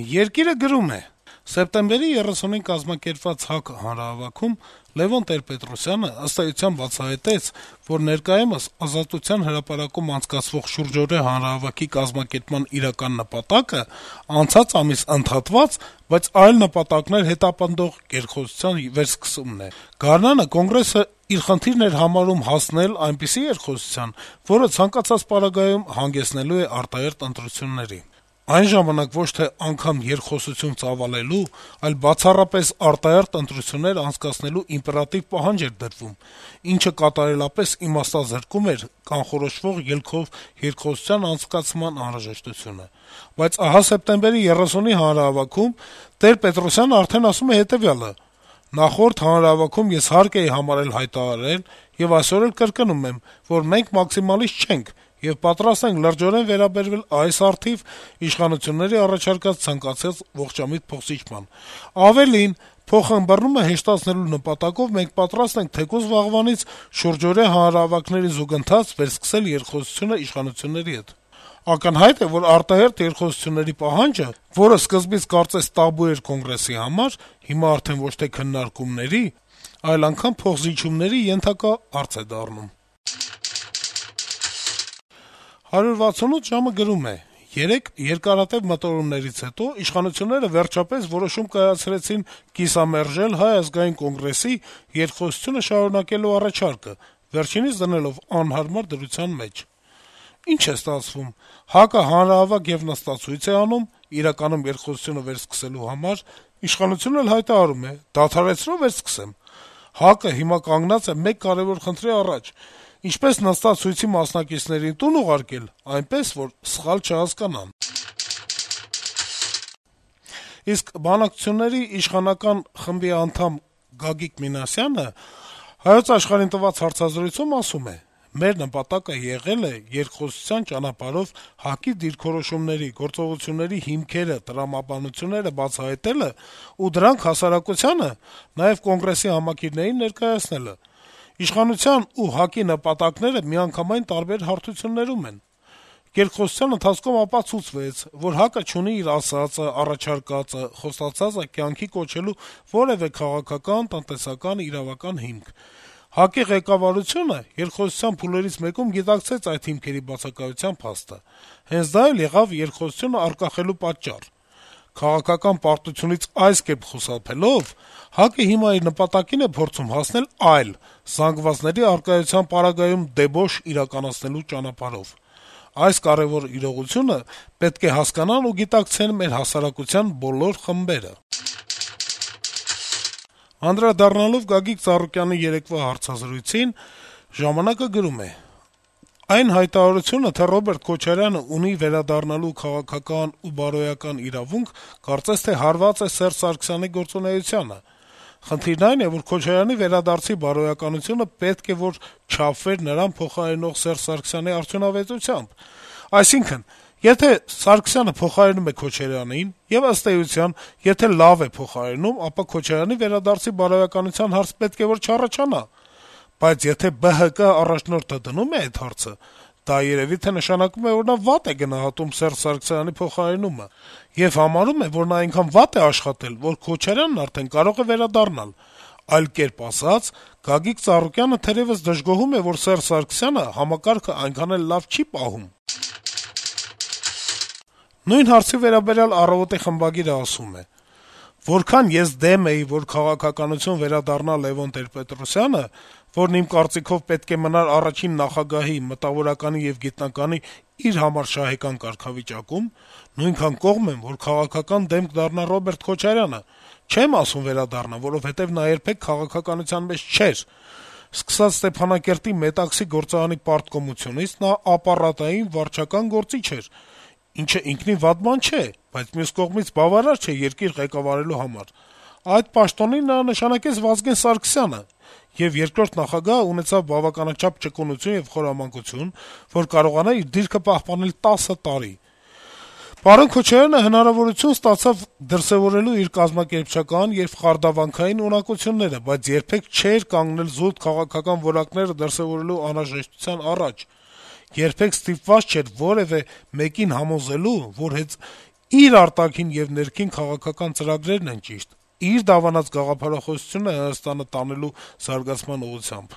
Երկիրը գրում է. - «Սեպտեմբերի 30-ին կազմակերպված ՀԱԿ հանրահավաքում Լեւոն Տեր-Պետրոսյանը ըստ էության բացահայտեց, որ ներկայումս Ազատության հրապարակում անցկացվող շուրջօրյա հանրահավաքի կազմակերպման իրական նպատակը անցած ամիս ընդհատված, բայց այլ նպատակներ հետապնդող երկխոսության վերսկսումն է: Գարնանը Կոնգրեսը իր խնդիրն էր համարում հասնել այնպիսի երկխոսության, որը ցանկացած պարագայում հանգեցնելու է արտահերթ ընտրությունների: Այն ժամանակ ոչ թե անգամ երկխոսություն ծավալելու, այլ բացառապես արտահերթ ընտրություններ անցկացնելու իմպերատիվ պահանջ էր դրվում, ինչը կատարելապես իմաստազրկում էր կանխորոշվող ելքով երկխոսության անցկացման անհրաժեշտությունը: Բայց ահա սեպտեմբերի 30-ի հանրահավաքում Տեր-Պետրոսյանը արդեն ասում է հետեւյալը. «Նախորդ հանրահավաքում ես հարկ էի համարել հայտարարել, եւ այսօր էլ կրկնում եմ, որ մենք մաքսիմալիստ չենք եւ պատրաստ ենք լրջորեն վերաբերվել այս առթիվ իշխանությունների առաջարկած ցանկացած ողջամիտ փոխզիջման: Ավելին, փոխըմբռնումը հեշտացնելու նպատակով մենք պատրաստ ենք թեկուզ վաղվանից շուրջօրյա հանրահավաքների զուգընթաց վերսկսել երկխոսությունը իշխանությունների հետ: Ակնհայտ է, որ արտահերթ երկխոսությունների պահանջը, որը սկզբից կարծես տաբու էր Կոնգրեսի համար, հիմա արդեն ոչ թե քննարկումների, այլ անգամ փոխզիջումների ենթակա հարց է դառնում»: 168 ժամ»-ը գրում է. - «Երեկ երկարատեւ մտորումներից հետո իշխանությունները վերջապես որոշում կայացրեցին կիսամերժել Հայ ազգային կոնգրեսի երկխոսությունը շարունակելու առաջարկը, վերջինիս դնելով անհարմար դրության մեջ: Ինչ է ստացվում: ՀԱԿ-ը հանրահավաք եւ նստացույց է անում, իրականում երկխոսությունը վերսկսելու համար, իշխանությունն էլ հայտարարում է` դադարեցրո, վերսկսեմ: ՀԱԿ-ը հիմա կանգնած է մեկ կարեւոր խնդրի առաջ` ինչպես նստած ցույցի մասնակիցներին տուն ուղարկել, այնպես, որ սխալ չհասկանան»: Իսկ բանակցությունների իշխանական խմբի անդամ Գագիկ Մինասյանը «Հայոց Աշխարհ»-ին տված հարցազրույցում ասում է. - «Մեր նպատակը եղել է երկխոսության ճանապարհով ՀԱԿ-ի դիրքորոշումների, գործողությունների հիմքերը, տրամաբանությունները բացահայտելը ու դրանք հասարակությանը, նաեւ Կոնգրեսի համակիրներին ներկայացնելը: Իշխանության ու ՀԱԿ-ի նպատակները միանգամայն տարբեր հարթություններում են: Երկխոսության ընթացքում ապացուցվեց, որ ՀԱԿ-ը չունի իր ասածը, առաջարկածը, խոստացածը կյանքի կոչելու որեւէ քաղաքական, տնտեսական, իրավական հիմք: ՀԱԿ-ի ղեկավարությունը երկխոսության փուլերից մեկում գիտակցեց այդ հիմքերի բացակայության փաստը: Հենց դա էլ եղավ երկխոսությունը առկախելու պատճառ: Քաղաքական պարտությունից այս կերպ խուսափելով` ՀԱԿ-ը հիմա իր նպատակին է փորձում հասնել այլ, զանգվածների առկայության պարագայում դեբոշ իրականացնելու ճանապարհով: Այս կարեւոր իրողությունը պետք է հասկանան ու գիտակցեն մեր հասարակության բոլոր խմբերը»: Անդրադառնալով Գագիկ Ծառուկյանի երեկվա հարցազրույցին` «Ժամանակ»-ը գրում է. - «Այն հայտարարությունը, թե Ռոբերտ Քոչարյանը ունի վերադառնալու քաղաքական ու բարոյական իրավունք, կարծես թե հարված է Սերժ Սարգսյանի գործունեությանը: Խնդիրն այն է, որ Քոչարյանի վերադարձի բարոյականությունը պետք է որ չափվեր նրան փոխարինող Սերժ Սարգսյանի արդյունավետությամբ: Այսինքն` եթե Սարգսյանը փոխարինում է Քոչարյանին, եւ ըստ էության, եթե լավ է փոխարինում, ապա Քոչարյանի վերադարձի բարոյականության հարց պետք է որ չառաջանա: Բայց եթե ԲՀԿ առաջնորդը դնում է այդ հարցը, դա երեւի թե նշանակում է, որ նա վատ է գնահատում Սերժ Սարգսյանի փոխարինումը եւ համարում է, որ նա այնքան վատ է աշխատել, որ Քոչարյանն արդեն կարող է վերադառնալ: Այլ կերպ ասած, Գագիկ Ծառուկյանը թերեւս դժգոհում է, որ Սերժ Սարգսյանը համակարգը այնքան էլ լավ չի պահում»: Նույն հարցի վերաբերյալ «Առավոտ»-ի խմբագիրը ասում է. - «Որքան ես դեմ էի, որ քաղաքականություն վերադառնա Լեւոն Տեր-Պետրոսյանը, որն իմ կարծիքով պետք է մնար առաջին նախագահի, մտավորականի եւ գիտնականի իր համար շահեկան կարգավիճակում, նույնքան կողմ եմ, որ քաղաքական դեմք դառնա Ռոբերտ Քոչարյանը: Չեմ ասում վերադառնա, որովհետեւ նա երբեք քաղաքականության մեջ չէր: Սկսած Ստեփանակերտի Մետաքսի գործարանի պարտկոմությունից նա ապառատային, վարչական գործիչ էր, ինչը ինքնին վատ բան չէ, բայց մյուս կողմից բավարար չէ երկիր ղեկավարելու համար: Այդ պաշտոնին նա նշանակեց Վազգեն Սարգսյանը, եւ երկրորդ նախագահը ունեցավ բավականաչափ ճկունություն եւ խորամանկություն, որ կարողանա իր դիրքը պահպանել 10 տարի: Պարոն Քոչարյանը հնարավորություն ստացավ դրսեւորելու իր կազմակերպչական եւ խարդավանքային ունակությունները, բայց երբեք չէր կանգնել զուտ քաղաքական որակները դրսեւորելու անհրաժեշտության առաջ, երբեք ստիպված չէր որեւէ մեկին համոզելու, որ հենց իր արտաքին եւ ներքին քաղաքական ծրագրերն են ճիշտ, իր դավանած գաղափարախոսությունը Հայաստանը տանելու զարգացման ուղղությամբ։